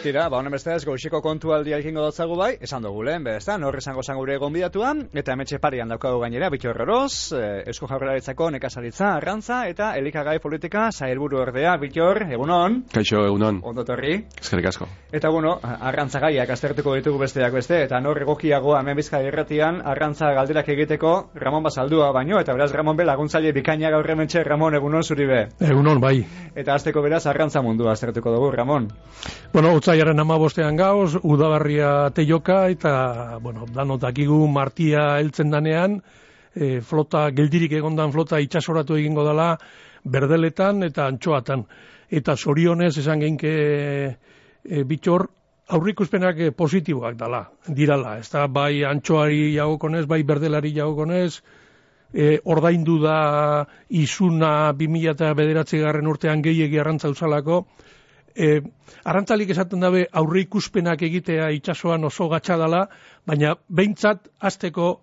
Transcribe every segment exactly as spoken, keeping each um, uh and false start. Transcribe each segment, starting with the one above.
Tira, ba, honen bestez, goiziko kontualdia egingo dotzagu bai, esan dugu lehen, bezta, nor esango zan gure gonbidatuan, eta hemetxe parian daukagu gainera, Bittor Oroz, eh, Eusko Jaurlaritzako nekazaritza, arrantza, eta elikagai politika sailburu ordea. Bittor, egunon. Kaixo, egunon. Ondotorri. Eskerrik asko. Eta bueno, arrantza gaiak aztertuko ditugu besteak beste, eta nor egokiagoa hemen Bizkaia irratian arrantza galderak egiteko Ramon Basaldua baino, eta beraz Ramon be laguntzaile bikaina gaur hementxe. Ramon, egunon zuri be. Egunon, bai. Eta hasteko beraz arrantza mundua aztertuko dugu, Ramon. Bueno, otsaiaren hamabostean gauz, udabarria teioka, eta, bueno, danot dakigu martia heltzen danean, e, flota, geldirik egondan flota itxasoratu egingo dela, berdeletan eta antxoatan. Eta zorionez, esan geinke e, Bittor, aurrikuspenak e, positiboak dala, dirala. Ez da, bai antxoari jagokonez, bai berdelari jagokonez, e, ordaindu da izuna bi mila bederatzigarren urtean gehiegi arrantza uzalako. E, arrantzalik esaten dabe aurre ikuspenak egitea itsasoan oso gatsa dela, baina behintzat hasteko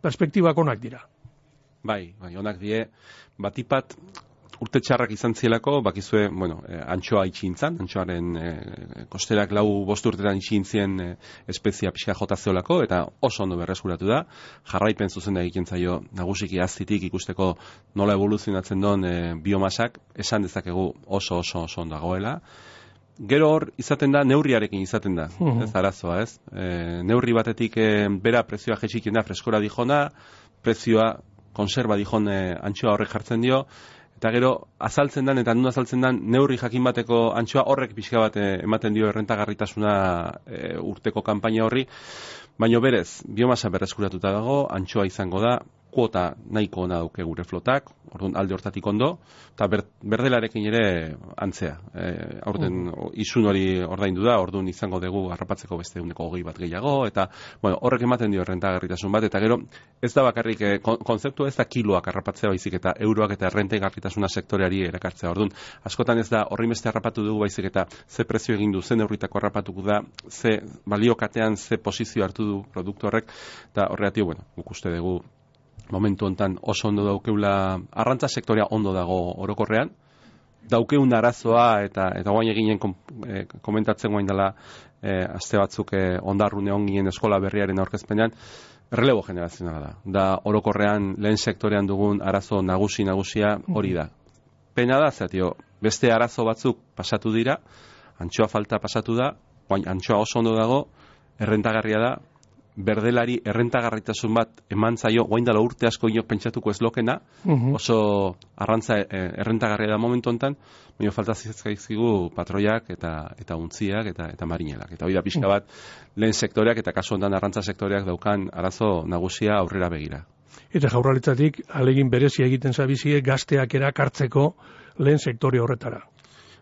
perspektibak onak dira. Bai, bai, onak die, batipat urte txarrak izan zielako, bakizue, bueno, eh, antxoa itxintzan, antxoaren eh, kosterak lau bost urtetan itxintzien eh, espezia pixka jota zeolako, eta oso ondo berreskuratu da, jarraipen zuzena egiten zaio nagusiki aztitik ikusteko nola evoluzionatzen don eh, biomasak, esan dezakegu oso oso oso ondo dagoela. Gero hor izaten da, neurriarekin izaten da, uh-huh. ez arazoa, ez? E, neurri batetik e, bera prezioa jetxiken da, freskora dijona, prezioa konserba dijone antxoa horrek jartzen dio, eta gero azaltzen dan, eta nun azaltzen dan, neurri jakin bateko antxoa horrek pixka bat e, ematen dio errentagarritasuna e, urteko kanpaina horri, baino berez, biomasa berreskuratuta dago, antxoa izango da, kuota nahiko ona dauke gure flotak, orduan alde hortatik ondo, eta ber, berdelarekin ere antzea. E, aurten uh. izun hori ordaindu da, orduan izango dugu harrapatzeko beste uneko hogei bat gehiago, eta bueno, horrek ematen dio errentagarritasun bat, eta gero ez da bakarrik, e, konzeptua ez da kiloak harrapatzea baizik, eta euroak eta errentagarritasuna sektoreari erakartzea. Orduan, askotan ez da horri beste harrapatu dugu baizik, eta ze prezio egin du, ze neurritako harrapatuko da, ze baliokatean, ze posizio hartu du produktu horrek, eta horregatik, bueno, guk uste dugu momentu hontan oso ondo daukeula, arrantza sektorea ondo dago orokorrean, daukeun arazoa eta eta guain eginen kom, e, komentatzen guain dela e, aste batzuk e, ondarrune ongien eskola berriaren aurkezpenean, relebo generazionala da. Da orokorrean lehen sektorean dugun arazo nagusi nagusia hori da. Pena da, zatio, beste arazo batzuk pasatu dira, antxoa falta pasatu da, guain antxoa oso ondo dago, errentagarria da, berdelari errentagarritasun bat eman zaio, guain dela urte asko inok pentsatuko ez lokena, uh-huh. oso arrantza errentagarria da momentu hontan, baina falta zizkaizkigu patroiak eta eta untziak eta eta marinelak. Eta hori da pixka bat lehen sektoreak eta kasu hontan arrantza sektoreak daukan arazo nagusia aurrera begira. Eta Jaurlaritzatik alegin berezia egiten zabizie gazteak erakartzeko lehen sektore horretara.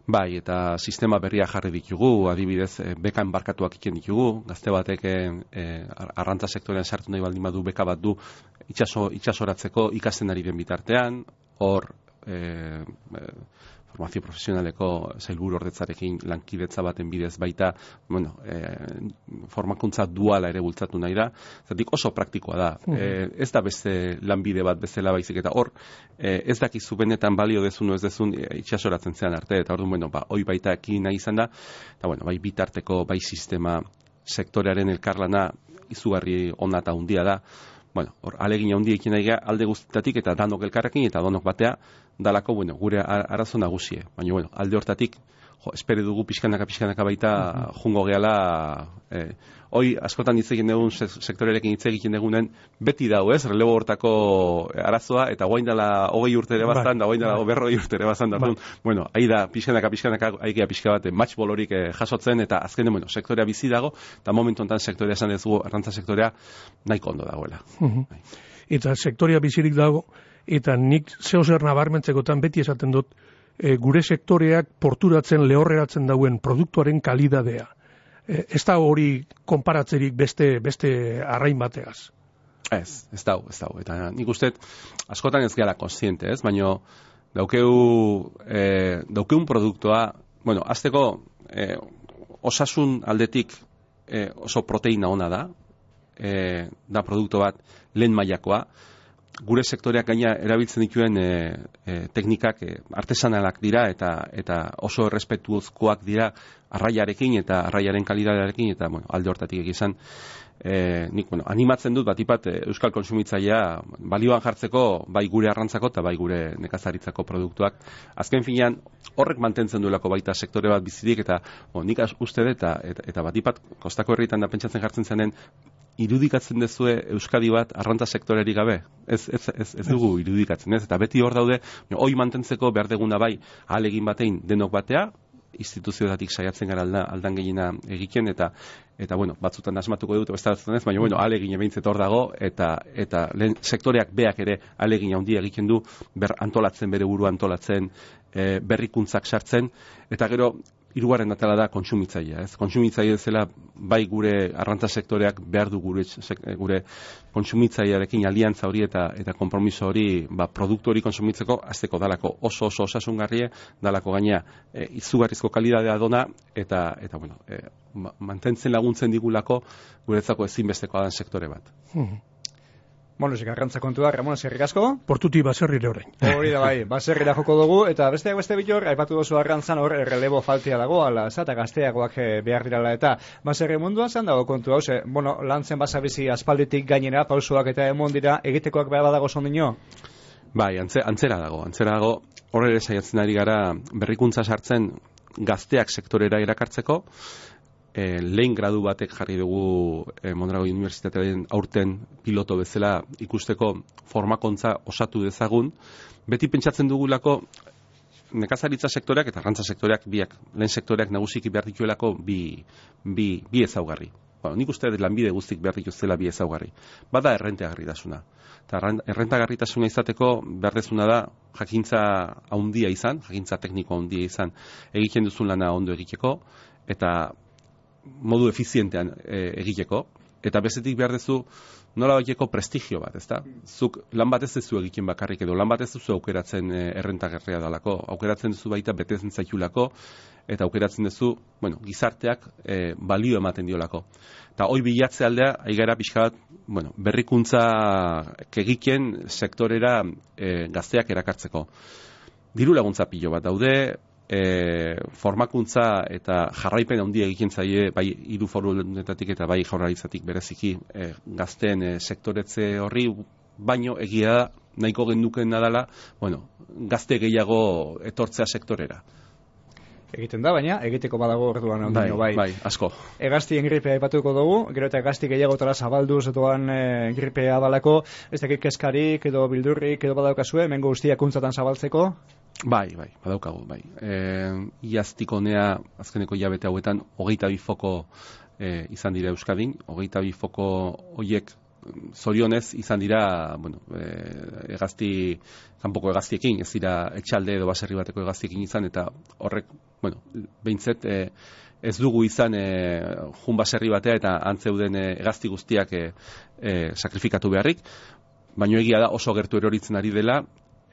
Bai, eta sistema berria jarri ditugu, adibidez, e, beka enbarkatuak iken ditugu, gazte batek e, arrantza sektorean sartu nahi baldin badu beka bat du itxaso, itxasoratzeko ikasten ari den bitartean, hor e, e, formazio profesionaleko sailburu ordetzarekin lankidetza baten bidez baita, bueno, e, formakuntza duala ere bultzatu nahi da, zatik oso praktikoa da. Uh-huh. E, ez da beste lanbide bat bezala baizik, eta hor, e, ez dakizu benetan balio dezun o ez dezun e, itxasoratzen zean arte, eta orduan, bueno, ba, hoi baita ekin nahi izan da, eta bueno, bai bitarteko, bai sistema, sektorearen elkarlana izugarri ona eta handia da, bueno, hor, alegin handia ekin nahi alde guztitatik, eta danok elkarrekin, eta danok batea, dalako, bueno, gure arazo nagusie. Baina, bueno, alde hortatik, jo, espere dugu pixkanaka, pixkanaka baita uh-huh. jungo gehala, eh, hoi, askotan hitz egin dugun, sektorerekin hitz egiten dugunen, beti dau, ez, relebo hortako arazoa, eta guain dela hogei urtere bazan, da guain dela berroi urtere bazan, da, bueno, ahi da, pixkanaka, pixkanaka, ahi pixka bat, matchbolorik eh, jasotzen, eta azkenen, bueno, sektorea bizi dago, eta momentu honetan sektorea esan dugu, arrantza sektorea, nahiko ondo dagoela. Uh-huh. Eta sektorea bizirik dago, eta nik zeo zer nabarmentzekotan beti esaten dut, e, gure sektoreak porturatzen, lehorreratzen dauen produktuaren kalidadea. E, ez da hori konparatzerik beste, beste arrain bateaz. Ez, ez dau, ez dau. Eta nik uste, askotan ez gara konsiente, ez? Baina daukeu, e, daukeun produktua, bueno, azteko e, osasun aldetik e, oso proteina ona da, e, da produktu bat lehen mailakoa, gure sektoreak gaina erabiltzen dituen e, e, teknikak e, artesanalak dira eta eta oso errespetuozkoak dira arraiarekin eta arraiaren kalidadearekin eta bueno, alde hortatik egizan e, nik bueno, animatzen dut batipat e, euskal kontsumitzailea balioan jartzeko bai gure arrantzako eta bai gure nekazaritzako produktuak. Azken finean horrek mantentzen duelako baita sektore bat bizirik eta bueno, nik uste dut eta, eta, eta batipat kostako herritan da pentsatzen jartzen zenen irudikatzen dezue Euskadi bat arrantza sektorerik gabe. Ez, ez, ez, ez dugu irudikatzen, ez? Eta beti hor daude, hoi mantentzeko behar deguna bai ahalegin batein denok batea, instituzioetatik saiatzen gara alda, aldan gehiena egiten, eta eta bueno, batzutan asmatuko dut, bestatzen ez, baina bueno, ahalegin behintzet hor dago, eta eta lehen sektoreak beak ere ahalegin handia egiten du, ber antolatzen, bere buru antolatzen, e, berrikuntzak sartzen, eta gero, hirugarren atala da kontsumitzailea, ez? Kontsumitzaile zela bai gure arrantza sektoreak behar du gure gure kontsumitzailearekin aliantza hori eta eta konpromiso hori, ba produktu hori kontsumitzeko hasteko dalako oso oso osasungarrie, dalako gaina e, izugarrizko kalidadea dona eta eta bueno, e, mantentzen laguntzen digulako guretzako ezinbestekoa den sektore bat. Hmm. Bueno, zik arrantza kontua, Ramon, eskerrik asko. Portuti baserrire orain. Hori da bai, baserrira joko dugu, eta besteak beste bitor, aipatu dozu arrantzan hor relebo faltia dago, ala, eta gazteagoak behar dirala, eta baserri munduan zan dago kontu hau, ze, bueno, lantzen basabizi aspalditik gainera, pausoak eta emon dira, egitekoak behar badago sondino? Bai, antze, antzera dago, antzera dago, horre ere saiatzen ari gara berrikuntza sartzen gazteak sektorera irakartzeko, E, lehen gradu batek jarri dugu e, Mondragon Unibertsitatearen aurten piloto bezala ikusteko formakontza osatu dezagun. Beti pentsatzen dugulako nekazaritza sektoreak eta arrantza sektoreak biak, lehen sektoreak nagusiki behar dituelako bi, bi, bi ezaugarri. Bueno, nik uste lanbide guztik behar dituztela bi ezaugarri. Bada errentagarritasuna. Eta errentagarritasuna izateko behar dezuna da jakintza handia izan, jakintza tekniko handia izan, egiten duzun lana ondo egiteko, eta modu efizientean e, egiteko, eta bezetik behar dezu nola baiteko prestigio bat, ezta? Zuk lan bat ez duzu egiten bakarrik edo, lan bat ez duzu aukeratzen e, errentagarria dalako, aukeratzen duzu baita betezen zaitulako, eta aukeratzen duzu, bueno, gizarteak e, balio ematen diolako. Eta hoi bilatze aldea, aigara pixka bat, bueno, berrikuntza egiten sektorera e, gazteak erakartzeko. Diru laguntza pilo bat daude, E, formakuntza eta jarraipen handia egiten zaie bai hiru forudetatik eta bai jaurlaritzatik bereziki e, gazteen e, sektoretze horri, baino egia da nahiko gendukena dela, bueno, gazte gehiago etortzea sektorera. Egiten da, baina egiteko badago orduan ondino, bai. Bai, asko. Egaztien gripea aipatuko dugu, gero eta egazti gehiagotara zabalduz doan e, gripea balako, ez dakit keskarik edo bildurrik edo badaukazue, mengo guztiak untzatan zabaltzeko? Bai, bai, badaukagu, bai. E, iaztik honea, azkeneko hilabete hauetan, hogeita bi foko e, izan dira Euskadin, hogeita bi foko hoiek zorionez izan dira, bueno, e, egazti, kanpoko egaztiekin, ez dira etxalde edo baserri bateko egaztiekin izan, eta horrek, bueno, behintzet, e, ez dugu izan e, jun baserri batea eta antzeuden e, egazti guztiak e, e, sakrifikatu beharrik, baina egia da oso gertu eroritzen ari dela,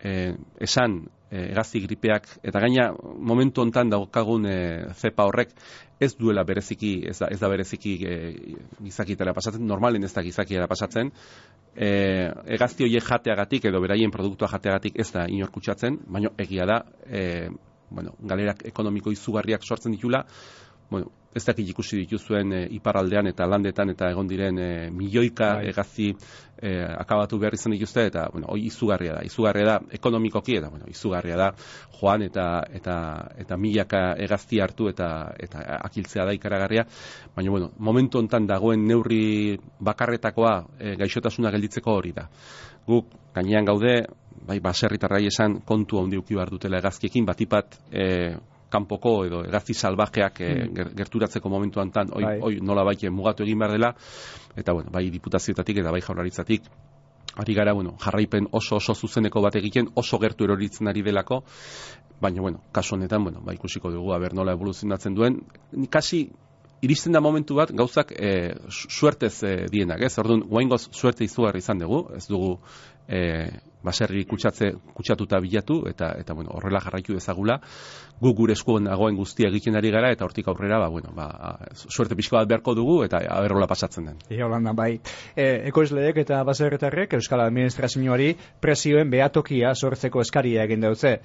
e, esan e, egazti gripeak, eta gaina momentu hontan daukagun e, zepa horrek ez duela bereziki, ez da, ez da bereziki e, gizakietara pasatzen, normalen ez da gizakietara pasatzen, e, egazti horiek jateagatik edo beraien produktua jateagatik ez da inor kutsatzen, baina egia da, e, bueno, galerak ekonomiko izugarriak sortzen ditula, bueno, ez dakit ikusi dituzuen e, iparraldean eta landetan eta egon diren e, milioika bai. Egazti e, akabatu behar izan dituzte, eta bueno, hoi izugarria da, izugarria da ekonomikoki, eta bueno, izugarria da joan eta eta eta milaka egazti hartu eta eta akiltzea da ikaragarria, baina bueno, momentu hontan dagoen neurri bakarretakoa e, gaixotasuna gelditzeko hori da. Guk gainean gaude, bai baserritarrai esan kontu handi uki behar dutela egazkiekin, batipat e, kanpoko edo egazti salvajeak mm. e, gerturatzeko momentu hantan, oi, bai. oi nola baike mugatu egin behar dela, eta bueno, bai diputazioetatik eta bai jaurlaritzatik, ari gara, bueno, jarraipen oso oso zuzeneko bat egiten, oso gertu eroritzen ari delako, baina, bueno, kasu honetan, bueno, bai ikusiko dugu, aber nola evoluzionatzen duen, kasi iristen da momentu bat, gauzak e, suertez e, dienak, ez? Orduan, guaingoz suerte izugarri izan dugu, ez dugu e, baserri kutsatze kutsatuta bilatu eta eta bueno, horrela jarraitu dezagula. Guk gure eskuan dagoen guztia egiten ari gara eta hortik aurrera ba bueno, ba suerte pixka bat beharko dugu eta aberrola pasatzen den. Ia Holanda bai. E, ekoizleek eta baserritarrek Euskal Administrazioari prezioen behatokia sortzeko eskaria egin dautze.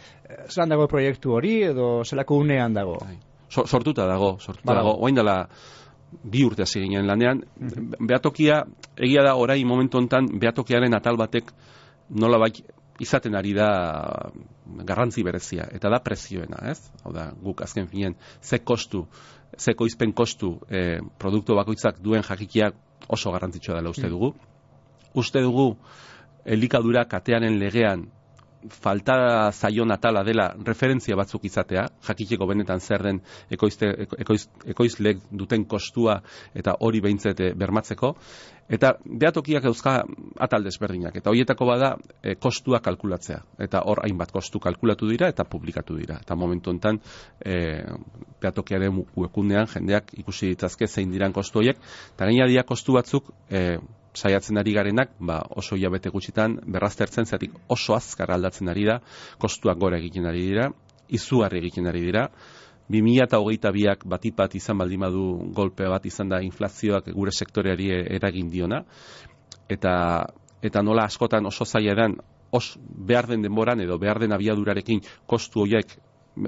Zelan dago proiektu hori edo zelako unean dago? So, sortuta dago, sortuta Badago. dago. Orain dela bi urte hasi ginen lanean. Mm-hmm. Behatokia egia da orain momentu hontan behatokiaren atal batek nolabait izaten ari da garrantzi berezia, eta da prezioena, ez? Hau da, guk azken finean, ze kostu, ze koizpen kostu e, produktu bakoitzak duen jakikiak oso garrantzitsua dela uste dugu. Uste dugu, elikadura katearen legean falta zaion atala dela referentzia batzuk izatea, jakiteko benetan zer den ekoizte, ekoiz, ekoizlek duten kostua eta hori behintzet bermatzeko, eta behatokiak euska atal desberdinak, eta horietako bada e, kostua kalkulatzea, eta hor hainbat kostu kalkulatu dira eta publikatu dira, eta momentu honetan e, behatokiaren webgunean jendeak ikusi ditzazke zein diran kostu horiek, eta gaina dira kostu batzuk e, saiatzen ari garenak, ba, oso hilabete gutxitan berraztertzen, zeatik oso azkar aldatzen ari da, kostuak gora egiten ari dira, izugarri egiten ari dira, bi mila hogeita biak batipat izan baldin badu golpe bat izan da inflazioak gure sektoreari eragin diona, eta, eta nola askotan oso zaila edan, os behar den denboran edo behar den abiadurarekin kostu horiek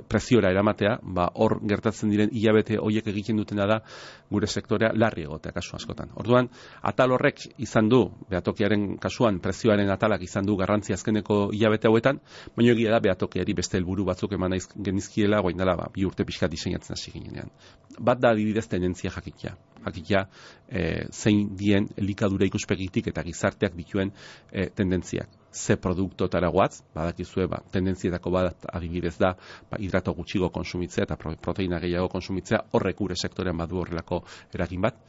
preziora eramatea, ba hor gertatzen diren hilabete horiek egiten dutena da gure sektorea larri egotea kasu askotan. Orduan, atal horrek izan du, behatokiaren kasuan prezioaren atalak izan du garrantzi azkeneko hilabete hauetan, baina egia da behatokiari beste helburu batzuk eman naiz genizkiela, guain dela ba, bi urte pixka diseinatzen hasi ginean. Bat da adibidez tendentzia jakitia. Jakitia e, zein dien elikadura ikuspegitik eta gizarteak dituen e, tendentziak. Ze produktotara guatz, badakizue, ba, tendentzietako bat adibidez da, ba, hidrato gutxigo konsumitzea eta proteina gehiago konsumitzea, horrek gure sektorean badu horrelako eragin bat.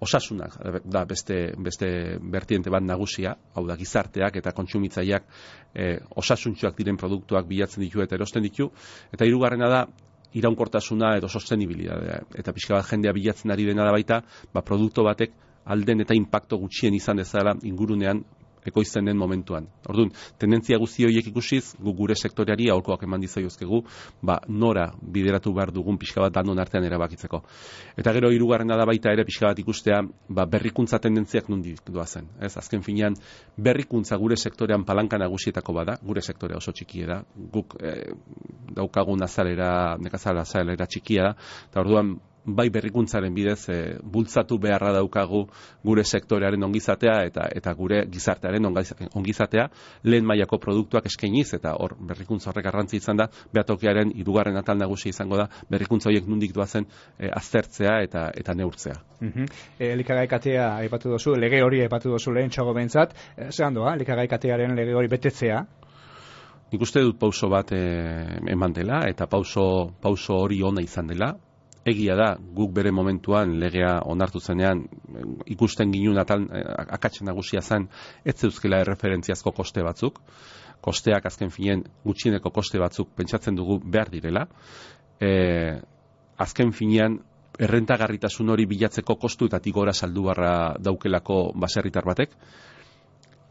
Osasunak da beste, beste bertiente bat nagusia, hau da gizarteak eta kontsumitzaileak e, osasuntsuak diren produktuak bilatzen ditu eta erosten ditu, eta hirugarrena da iraunkortasuna edo sostenibilitatea, eta pixka bat jendea bilatzen ari dena da baita, ba, produktu batek alden eta inpakto gutxien izan dezala ingurunean ekoizten den momentuan. Orduan, tendentzia guzti horiek ikusiz, gu gure sektoreari aholkoak eman dizaiozkegu, ba, nora bideratu behar dugun pixka bat danon artean erabakitzeko. Eta gero hirugarrena da baita ere pixka bat ikustea, ba, berrikuntza tendentziak nondik doazen. Ez, azken finean, berrikuntza gure sektorean palanka nagusietako bada, gure sektorea oso txikia da, guk eh, daukagun azalera, nekazala azalera txikia da, eta orduan, bai berrikuntzaren bidez e, bultzatu beharra daukagu gure sektorearen ongizatea eta eta gure gizartearen ongizatea lehen mailako produktuak eskainiz, eta hor berrikuntza horrek garrantzi izan da, behatokiaren hirugarren atal nagusia izango da berrikuntza horiek nondik doazen e, aztertzea eta eta neurtzea. Mhm. E, elikagai katea aipatu duzu, lege hori aipatu duzu lehentxago behintzat, e, zelan doa, elikagai katearen lege hori betetzea? Nik uste dut pauso bat e, eman dela, eta pauso, pauso hori ona izan dela. Egia da, guk bere momentuan legea onartu zenean ikusten ginun atal, akatzen nagusia zen, ez zeuzkela erreferentziazko koste batzuk, kosteak azken finen gutxieneko koste batzuk pentsatzen dugu behar direla, e, azken finean errentagarritasun hori bilatzeko kostu eta tigora saldu barra daukelako baserritar batek,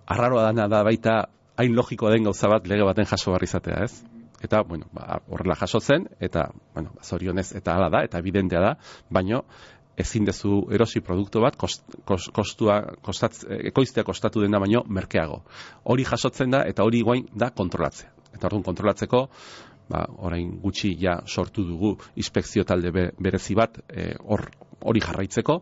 arraroa dana da baita hain logikoa den gauza bat lege baten jaso barri izatea, ez? Eta, bueno, ba, horrela jasotzen, eta, bueno, zorionez, eta hala da, eta evidentea da, baino, ezin dezu erosi produktu bat, kost, kost, kostua, kostatz, ekoiztea kostatu dena baino, merkeago. Hori jasotzen da, eta hori guain da kontrolatzea. Eta orduan kontrolatzeko, ba, orain gutxi ja sortu dugu inspekzio talde be, berezi bat, hor e, hori jarraitzeko,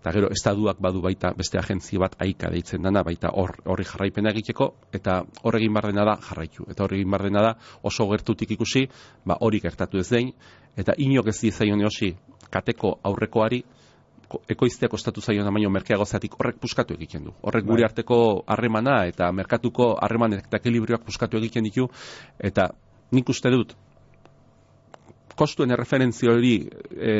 eta gero estatuak badu baita beste agentzia bat aika deitzen dana, baita hor horri jarraipena egiteko, eta hor egin behar dena da jarraitu. Eta hor egin behar dena da oso gertutik ikusi, ba hori gertatu ez dein, eta inok ez dizaion eosi kateko aurrekoari, ekoiztea kostatu zaiona baino merkeago zatik horrek puskatu egiten du. Horrek gure arteko harremana eta merkatuko harreman eta ekilibrioak puskatu egiten ditu, eta nik uste dut, kostuen erreferentzio hori e,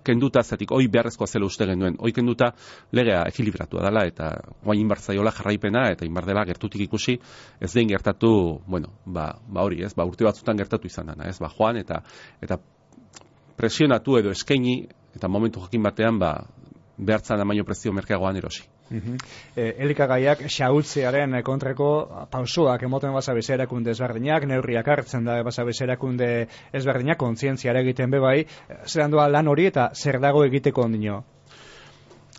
kenduta zatik, hoi beharrezkoa zela uste genuen, hoi kenduta legea ekilibratua dela, eta guain inbartzaiola jarraipena, eta inbardela gertutik ikusi, ez den gertatu, bueno, ba, ba hori, ez, ba urte batzutan gertatu izan dana, ez, ba joan, eta eta presionatu edo eskaini, eta momentu jakin batean, ba, behartzan amaino prezio merkeagoan erosi. Uh-huh. E, elikagaiak xahutzearen kontrako pausoak emoten basabiz erakunde ezberdinak, neurriak hartzen da basabiz erakunde ezberdinak, kontzientziara egiten bebai, zer doa lan hori eta zer dago egiteko ondino?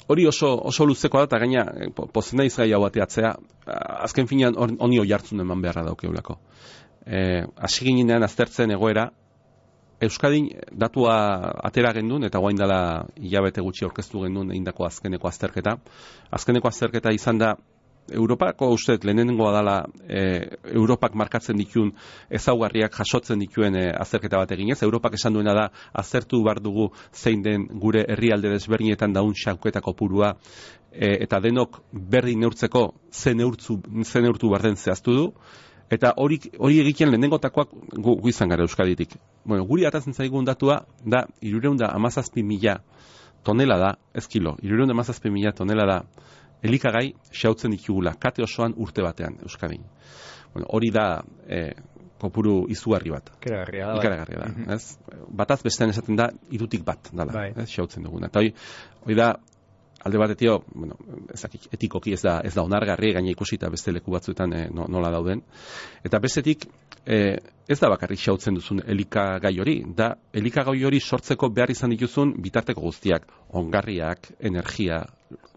Hori oso, oso luzeko da, eta gaina, pozen naiz gai hau bateatzea, azken finean honi hoi hartzun eman beharra daukeulako. E, hasi ginean aztertzen egoera, Euskadin datua atera gendun, eta guain dela hilabete gutxi aurkeztu gendun egindako azkeneko azterketa. Azkeneko azterketa izan da, Europako uste lehenengoa dela e, Europak markatzen dituen ezaugarriak jasotzen dituen e, azterketa bat eginez. Europak esan duena da aztertu bar dugu zein den gure herrialde desberdinetan daun xauketa kopurua e, eta denok berdin neurtzeko ze neurtzu, ze neurtu barden zehaztu du. Eta hori, hori egiten lehenengotakoak gu, gu izan gara Euskaditik. Bueno, guri atatzen zaigun datua da hirurehun eta hamazazpi mila tonela da, ez kilo, hirurehun eta hamazazpi mila tonela da elikagai xautzen ditugula, kate osoan urte batean Euskadin. Bueno, hori da e, kopuru izugarri bat. Ikaragarria da. Ikaragarria da, mm-hmm. ez? Bataz bestean esaten da hirutik bat dala, bai. Ez, xautzen duguna. Eta hori, hori da, alde batetio, bueno, ezakik, etikoki ez da, ez da onargarri, gaina ikusita beste leku batzuetan e, nola dauden. Eta bestetik, e, ez da bakarrik xautzen duzun elikagai hori, da elikagai hori sortzeko behar izan dituzun bitarteko guztiak, ongarriak, energia,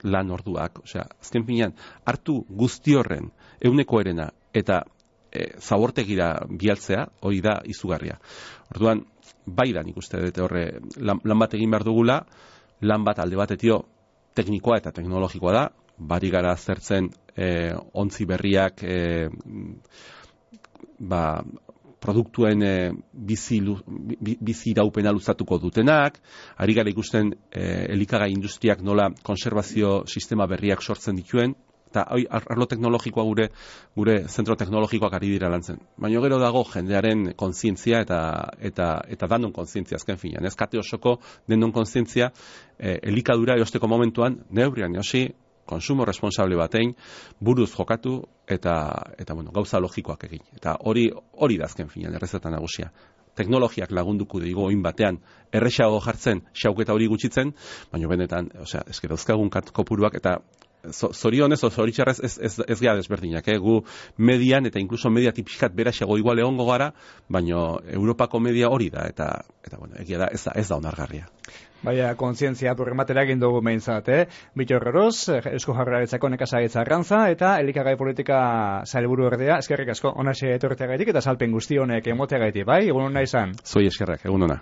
lan orduak, osea, azken finean, hartu guzti horren, ehuneko erena, eta e, zabortegira bialtzea, hori da izugarria. Orduan, bai da nik uste dute horre, lan, lan bat egin behar dugula, lan bat alde batetio, teknikoa eta teknologikoa da, bari gara zertzen e, ontzi berriak e, ba, produktuen e, bizi, bizi iraupena luzatuko dutenak, ari gara ikusten e, elikagai industriak nola konservazio sistema berriak sortzen dituen, eta arlo teknologikoa gure gure zentro teknologikoak ari dira lantzen. Baina gero dago jendearen kontzientzia eta eta eta danon kontzientzia azken finean. Ez kate osoko denon kontzientzia eh, elikadura erosteko momentuan neurrian erosi, konsumo responsable batein buruz jokatu eta eta bueno, gauza logikoak egin. Eta hori hori da azken finean errezeta nagusia. Teknologiak lagunduko digo oin batean erresago jartzen, xauketa hori gutxitzen, baina benetan, osea, eske dauzkagun kopuruak eta zorionez, zoritxarrez ez, ez, ez gara desberdinak, eh? Gu median eta inkluso media tipiskat beraxego igual egongo gara, baina Europako media hori da, eta, eta bueno, egia da, ez da, ez da onargarria. Baina, kontzientzia burrematera egin dugu behintzat, eh? Bittor Oroz, Eusko Jaurlaritzako nekazaritza arrantza, eta elikagai politika sailburu ordea, eskerrik asko, onaxe etorteagaitik, eta salpen guzti honek emoteagaitik, bai? Egun hona izan? Zoi eskerrak, egun hona.